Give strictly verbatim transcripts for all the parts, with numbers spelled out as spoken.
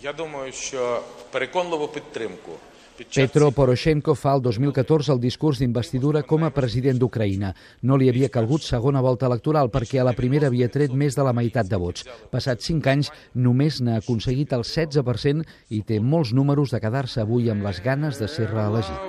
Я думаю, що переконливу підтримку Petro Poroshenko fa el dos mil catorze el discurs d'investidura com a president d'Ucraïna. No li havia calgut segona volta electoral perquè a la primera havia tret més de la meitat de vots. Passats cinc anys, només n'ha aconseguit el setze per cent i té molts números de quedar-se avui amb les ganes de ser reelegit.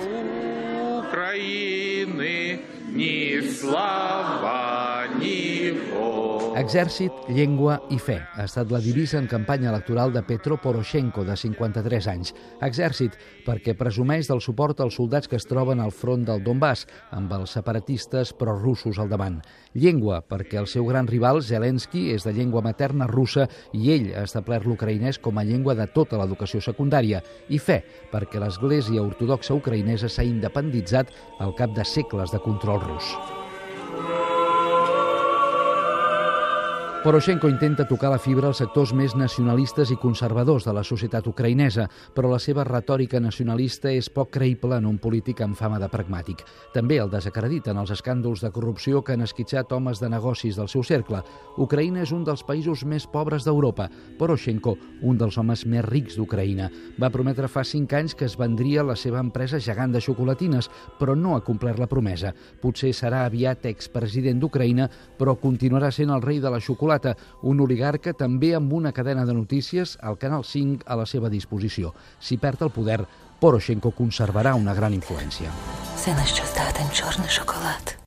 Exèrcit, llengua i fe ha estat la divisa en campanya electoral de Petro Poroshenko, de cinquanta-tres anys. Exèrcit, perquè presumeix del suport als soldats que es troben al front del Donbass, amb els separatistes prorussos al davant. Llengua, perquè el seu gran rival, Zelensky, és de llengua materna russa i ell ha establert l'ucraïnès com a llengua de tota l'educació secundària. I fe, perquè l'Església Ortodoxa ucraïnesa s'ha independitzat al cap de segles de control rus. Poroshenko intenta tocar la fibra als sectors més nacionalistes i conservadors de la societat ucraïnesa, però la seva retòrica nacionalista és poc creïble en un polític amb fama de pragmàtic. També el desacrediten els escàndols de corrupció que han esquitxat homes de negocis del seu cercle. Ucraïna és un dels països més pobres d'Europa. Poroshenko, un dels homes més rics d'Ucraïna. Va prometre fa cinc anys que es vendria la seva empresa gegant de xocolatines, però no ha complert la promesa. Potser serà aviat expresident d'Ucraïna, però continuarà sent el rei de la xocolata, un oligarca també amb una cadena de notícies al Canal cinc a la seva disposició. Si perd el poder, Poroshenko conservarà una gran influència. Все, на що здатен чорний шоколад.